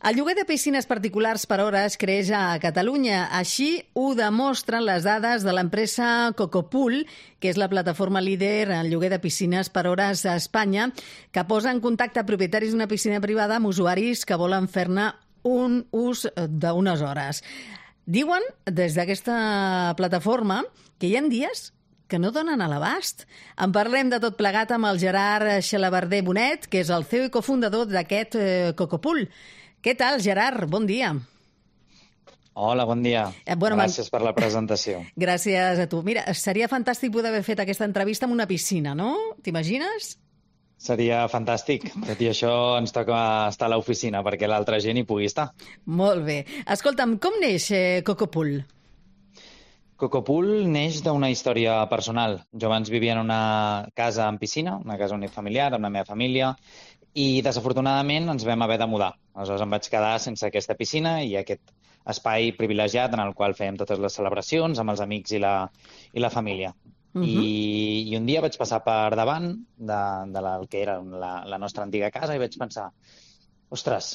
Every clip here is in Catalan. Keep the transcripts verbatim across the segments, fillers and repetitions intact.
El lloguer de piscines particulars per hores creix a Catalunya. Així ho demostren les dades de l'empresa Cocopool, que és la plataforma líder en lloguer de piscines per hores a Espanya, que posa en contacte propietaris d'una piscina privada amb usuaris que volen fer-ne un ús d'unes hores. Diuen, des d'aquesta plataforma, que hi ha dies que no donen a l'abast. En parlem de tot plegat amb el Gerard Xalabarder Bonet, que és el C E O i cofundador d'aquest eh, Cocopool. Què tal, Gerard? Bon dia. Hola, bon dia. Eh, bueno, Gràcies per la presentació. Gràcies a tu. Mira, seria fantàstic poder haver fet aquesta entrevista en una piscina, no? T'imagines? Seria fantàstic. Tot i això ens toca estar a l'oficina perquè l'altra gent hi pugui estar. Molt bé. Escolta'm, com neix eh, Cocopool? Cocopool neix d'una història personal. Jo abans vivia en una casa amb piscina, una casa unifamiliar, amb la meva família, i desafortunadament ens vam haver de mudar. Aleshores em vaig quedar sense aquesta piscina i aquest espai privilegiat en el qual fèiem totes les celebracions amb els amics i la, i la família. Uh-huh. I, I un dia vaig passar per davant de, de la, que era la, la nostra antiga casa i vaig pensar, ostres,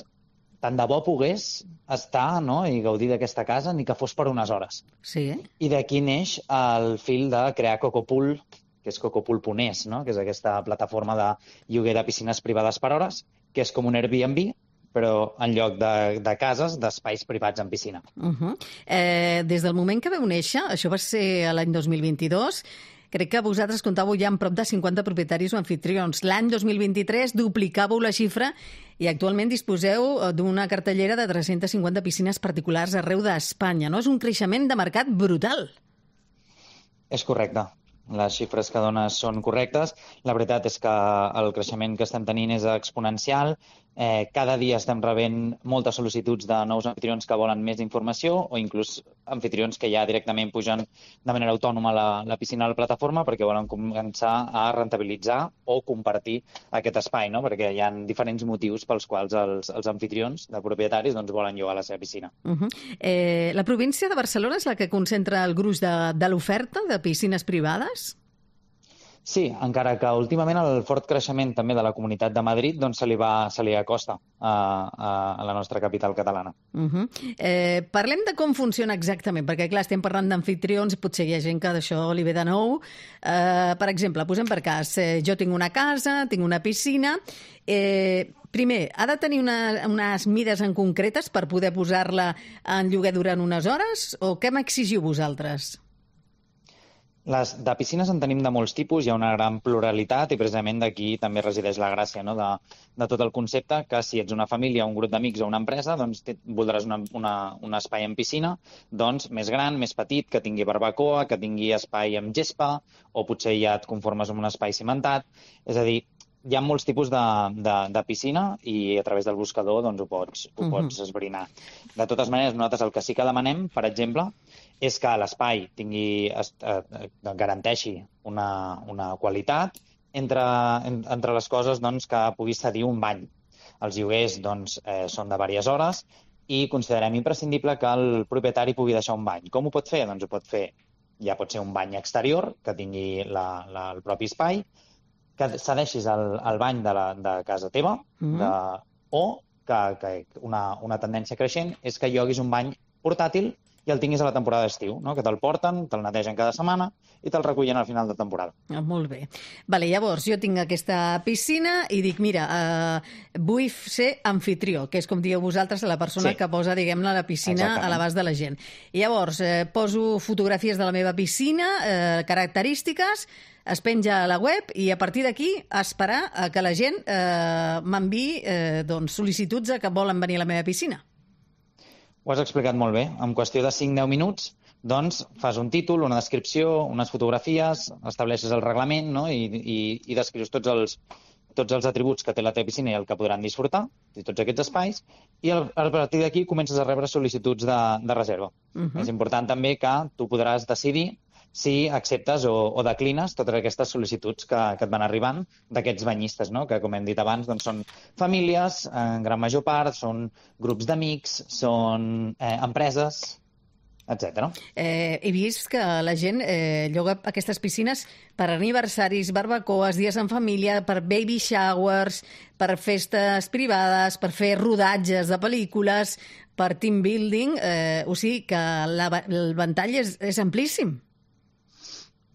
tant de bo pogués estar, no?, i gaudir d'aquesta casa, ni que fos per unes hores. Sí. I d'aquí neix el fil de crear Cocopool, que és cocopool punt es, no?, que és aquesta plataforma de lloguer de piscines privades per hores, que és com un Airbnb, però en lloc de, de cases, d'espais privats en piscina. Uh-huh. eh, des del moment que vau néixer, això va ser l'any dos mil vint-i-dos, crec que vosaltres comptàveu ja amb prop de cinquanta propietaris o anfitrions. L'any dos mil vint-i-tres duplicàveu la xifra i actualment disposeu d'una cartellera de tres-centes cinquanta piscines particulars arreu d'Espanya, no? És un creixement de mercat brutal. És correcte. Les xifres que dones són correctes. La veritat és que el creixement que estem tenint és exponencial. Eh, cada dia estem rebent moltes sol·licituds de nous anfitrions que volen més informació o inclús anfitrions que ja directament pugen de manera autònoma a la, la piscina a la plataforma perquè volen començar a rentabilitzar o compartir aquest espai, no? Perquè hi ha diferents motius pels quals els, els anfitrions de propietaris doncs, volen llogar la seva piscina. Uh-huh. eh, la província de Barcelona és la que concentra el gruix de, de l'oferta de piscines privades? Sí, encara que últimament el fort creixement també de la Comunitat de Madrid doncs, se li va, se li acosta a, a, a la nostra capital catalana. Uh-huh. eh, parlem de com funciona exactament, perquè clar, estem parlant d'anfitrions, potser hi ha gent que d'això li ve de nou. Eh, per exemple, posem per cas, eh, jo tinc una casa, tinc una piscina, eh, primer, ha de tenir una, unes mides en concretes per poder posar-la en lloguer durant unes hores, o què m'exigiu vosaltres? Les, de piscines en tenim de molts tipus, hi ha una gran pluralitat i precisament d'aquí també resideix la gràcia, no?, de, de tot el concepte, que si ets una família, un grup d'amics o una empresa, doncs te, voldràs una, una, un espai en piscina doncs, més gran, més petit, que tingui barbacoa, que tingui espai amb gespa, o potser ja et conformes amb un espai cimentat. És a dir, hi ha molts tipus de, de, de piscina i a través del buscador doncs, ho pots, ho uh-huh. pots esbrinar. De totes maneres, nosaltres el que sí que demanem, per exemple, és que l'espai tingui, eh, garanteixi una, una qualitat entre, entre les coses doncs, que puguis cedir un bany. Els lloguers doncs, eh, són de diverses hores i considerem imprescindible que el propietari pugui deixar un bany. Com ho pot fer? Doncs ho pot fer, ja pot ser un bany exterior, que tingui la, la, el propi espai, que cedeixis el, el bany de, la, de casa teva, mm-hmm. de, o que, que una, una tendència creixent és que lloguis un bany portàtil i el tinguis a la temporada d'estiu, no? Que te'l porten, te'l netegen cada setmana i te'l recullen al final de temporada. Ah, molt bé. Vale, llavors, jo tinc aquesta piscina i dic, mira, eh, vull ser anfitrió, que és com dieu vosaltres, la persona sí. que posa, diguem-ne, la piscina Exactament. A l'abast de la gent. I llavors, eh, poso fotografies de la meva piscina, eh, característiques, es penja a la web i a partir d'aquí esperar a que la gent eh, m'enviï eh, doncs, sol·licituds a que volen venir a la meva piscina. Ho has explicat molt bé. En qüestió de cinc a deu minuts, doncs, fas un títol, una descripció, unes fotografies, estableixes el reglament, no?, i, i, i descrius tots els, tots els atributs que té la teva piscina i el que podran disfrutar, de tots aquests espais, i a partir d'aquí comences a rebre sol·licituds de, de reserva. Uh-huh. És important també que tu podràs decidir si acceptes o, o declines totes aquestes sol·licituds que, que et van arribant d'aquests banyistes, no?, que, com hem dit abans, doncs són famílies, en gran major part, són grups d'amics, són eh, empreses. etcètera. Eh, he vist que la gent eh, lloga aquestes piscines per aniversaris, barbacoes, dies en família, per baby showers, per festes privades, per fer rodatges de pel·lícules, per team building, eh, o sigui que la, el ventall és, és amplíssim.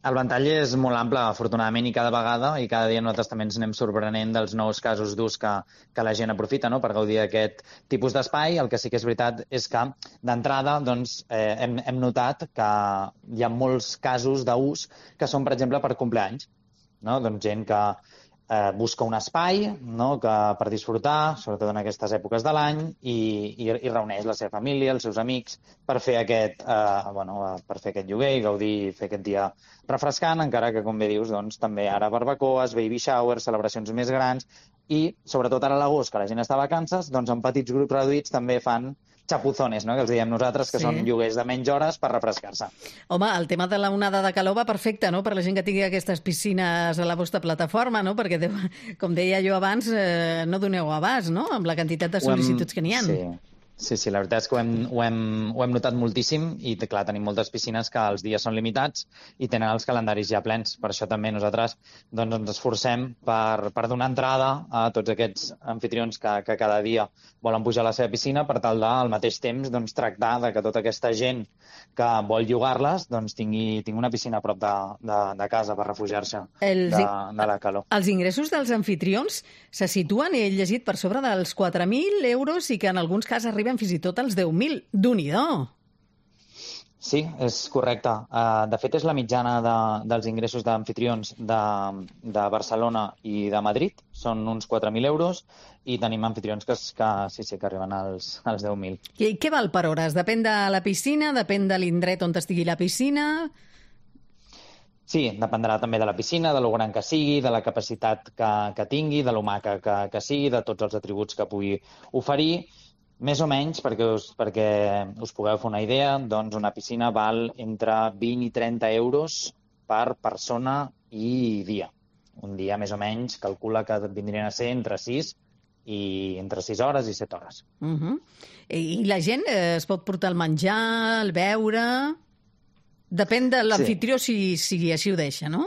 El ventall és molt ample, afortunadament, i cada vegada, i cada dia nosaltres també ens anem sorprenent dels nous casos d'ús que, que la gent aprofita, no?, per gaudir d'aquest tipus d'espai. El que sí que és veritat és que, d'entrada, doncs, eh, hem, hem notat que hi ha molts casos d'ús que són, per exemple, per compleanys, no? Doncs gent que eh, busca un espai, no?, que per disfrutar, sobretot en aquestes èpoques de l'any, i, i, i reuneix la seva família, els seus amics, per fer aquest, eh, bueno, per fer aquest lloguer i gaudir, fer aquest dia refrescant, encara que, com bé dius, doncs, també ara barbacoes, baby showers, celebracions més grans, i, sobretot ara a l'agost, que la gent està a vacances, doncs en petits grups reduïts també fan chapuzones, no?, que els diem nosaltres, que sí. Són lloguers de menys hores per refrescar-se. Home, el tema de la onada de calor va perfecte, no?, per la gent que tingui aquestes piscines a la vostra plataforma, no?, perquè, com deia jo abans, eh, no doneu abast, no?, amb la quantitat de sol·licituds que n'hi ha. Sí. Sí, sí, la veritat és que ho hem, ho hem, ho hem notat moltíssim i, clar, tenim moltes piscines que els dies són limitats i tenen els calendaris ja plens. Per això també nosaltres doncs, ens esforcem per, per donar entrada a tots aquests anfitrions que, que cada dia volen pujar a la seva piscina per tal de, al mateix temps, doncs, tractar de que tota aquesta gent que vol llogar-les doncs, tingui, tingui una piscina a prop de, de, de casa per refugiar-se els, de, de la calor. Els ingressos dels anfitrions se situen, he llegit, per sobre dels quatre mil euros i que en alguns casos arriben fins i tot als deu mil. Déu-n'hi-do! Sí, és correcte. Uh, de fet, és la mitjana de, dels ingressos d'anfitrions de, de Barcelona i de Madrid. Són uns quatre mil euros i tenim anfitrions que, que sí, sí, que arriben als, als deu mil. I què val per hores? Depèn de la piscina? Depèn de l'indret on estigui la piscina? Sí, dependrà també de la piscina, de lo gran que sigui, de la capacitat que, que tingui, de lo maca que, que sigui, de tots els atributs que pugui oferir. Més o menys, perquè us, perquè us pugueu fer una idea, doncs una piscina val entre vint i trenta euros per persona i dia. Un dia, més o menys, calcula que vindrien a ser entre sis i entre sis hores i set hores. Uh-huh. I la gent eh, es pot portar el menjar, el beure... Depèn de l'anfitrió sí. si, si així ho deixa, no?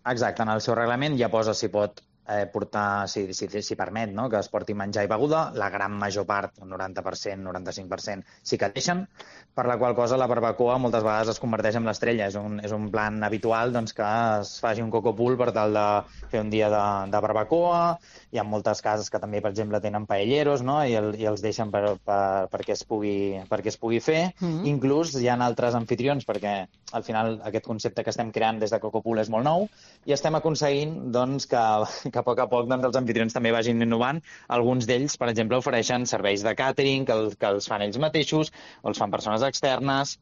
Exacte, en el seu reglament ja posa si pot eh, portar, si, si, si permet, no?, que es porti menjar i beguda. La gran major part, el noranta per cent, noranta-cinc per cent, sí que deixen, per la qual cosa la barbacoa moltes vegades es converteix en l'estrella. És un, és un plan habitual doncs, que es faci un coco pool per tal de fer un dia de, de barbacoa. Hi ha moltes cases que també, per exemple, tenen paelleros, no?, i, el, i els deixen per, per, perquè, es pugui, perquè es pugui fer. Mm-hmm. Inclús hi ha altres anfitrions, perquè al final aquest concepte que estem creant des de Coco Pool és molt nou i estem aconseguint doncs, que, que a poc a poc doncs, els anfitrions també vagin innovant. Alguns d'ells, per exemple, ofereixen serveis de càtering que, el, que els fan ells mateixos o els fan persones externes.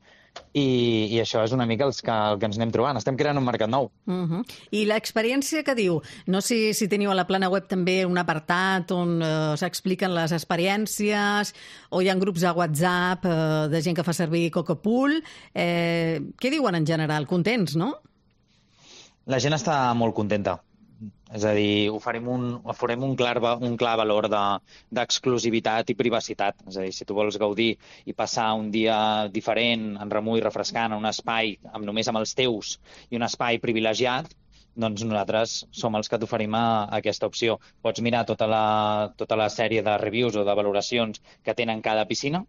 I, i això és una mica els que, el que ens anem trobant. Estem creant un mercat nou. Uh-huh. I l'experiència que diu, no sé si teniu a la plana web també un apartat on eh, s'expliquen les experiències o hi ha grups a WhatsApp eh, de gent que fa servir Coco Pool. Eh, què diuen en general? Contents, no? La gent està molt contenta. És a dir, oferim un, oferim un, clar, un clar valor d'exclusivitat de, i privacitat. És a dir, si tu vols gaudir i passar un dia diferent, en remull, refrescant, en un espai amb, només amb els teus i un espai privilegiat, doncs nosaltres som els que t'oferim aquesta opció. Pots mirar tota la, tota la sèrie de reviews o de valoracions que tenen cada piscina,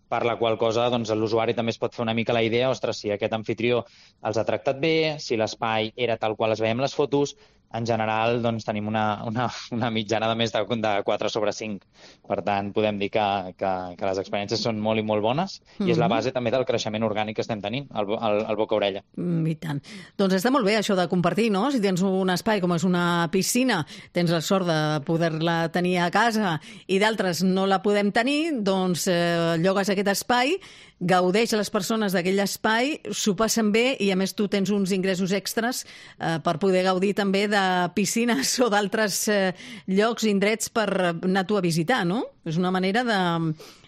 per la qual cosa doncs, l'usuari també es pot fer una mica la idea, ostres, si aquest anfitrió els ha tractat bé, si l'espai era tal qual es veiem les fotos. En general, doncs, tenim una, una, una mitjana de més de, de quatre sobre cinc. Per tant, podem dir que, que, que les experiències són molt i molt bones mm-hmm. i és la base també del creixement orgànic que estem tenint, al, al, al boca-orella. Mm, I tant. Doncs està molt bé això de compartir, no? Si tens un espai com és una piscina, tens la sort de poder-la tenir a casa i d'altres no la podem tenir, doncs eh, llogues aquest espai, gaudeix les persones d'aquell espai, s'ho passen bé i a més tu tens uns ingressos extras eh, per poder gaudir també de piscines o d'altres eh, llocs, indrets per anar tu a visitar, no? És una manera de,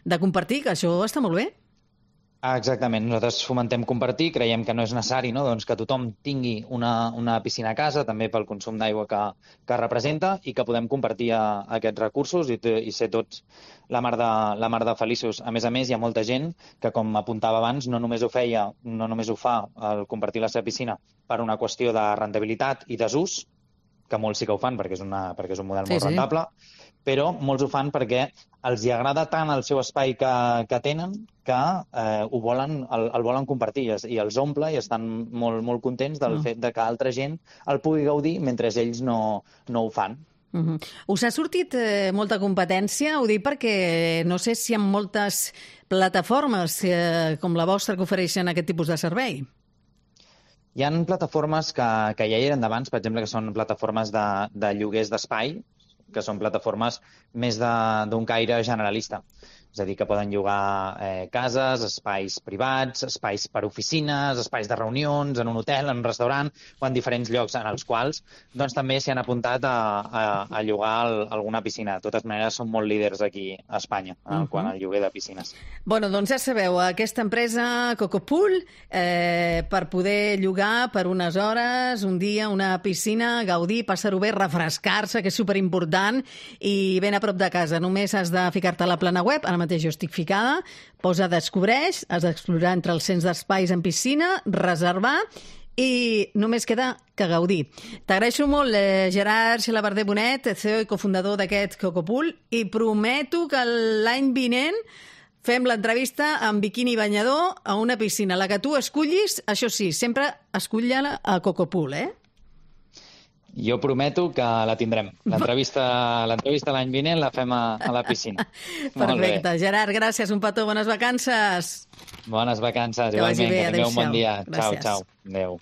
de compartir, que això està molt bé. Ah, exactament. Nosaltres fomentem compartir, creiem que no és necessari, no? Doncs que tothom tingui una, una piscina a casa, també pel consum d'aigua que, que representa, i que podem compartir a, a aquests recursos i, i ser tots la mar, de, la mar de feliços. A més a més, hi ha molta gent que, com apuntava abans, no només ho feia, no només ho fa el compartir la seva piscina per una qüestió de rendibilitat i desús, que molts sí que ho fan perquè és, una, perquè és un model sí, molt sí. rentable, però molts ho fan perquè els hi agrada tant el seu espai que, que tenen que eh, ho volen, el, el volen compartir i els omple i estan molt, molt contents del Mm. fet de que altra gent el pugui gaudir mentre ells no, no ho fan. Uh-huh. Us ha sortit eh, molta competència? Ho dic perquè no sé si hi ha moltes plataformes eh, com la vostra que ofereixen aquest tipus de servei. Hi ha plataformes que, que ja hi eren d'abans, per exemple, que són plataformes de, de lloguers d'espai, que són plataformes més d'un caire generalista. És a dir, que poden llogar eh, cases, espais privats, espais per oficines, espais de reunions, en un hotel, en un restaurant o en diferents llocs en els quals doncs, també s'hi han apuntat a, a, a llogar el, alguna piscina. De totes maneres, són molt líders aquí a Espanya uh-huh. quant al lloguer de piscines. Bueno, doncs ja sabeu, aquesta empresa Cocopool, eh, per poder llogar per unes hores, un dia, una piscina, gaudir, passar-ho bé, refrescar-se, que és superimportant, i ben a prop de casa. Només has de ficar-te a la plana web, ara mateix jo estic ficada, posa Descobreix, has d'explorar entre els cents d'espais en piscina, reservar, i només queda que gaudir. T'agraeixo molt, eh, Gerard Xalabarder Bonet, C E O i cofundador d'aquest Cocopool, i prometo que l'any vinent fem l'entrevista amb biquini banyador a una piscina. La que tu escullis, això sí, sempre escull-la a Cocopool, eh? Jo prometo que la tindrem. L'entrevista l'entrevista l'any vinent la fem a, a la piscina. Perfecte. Gerard, gràcies. Un petó. Bones vacances. Bones vacances. Que vagi Igualment. bé. Que tingueu un bon dia. Gràcies. Ciao, ciao. Adéu.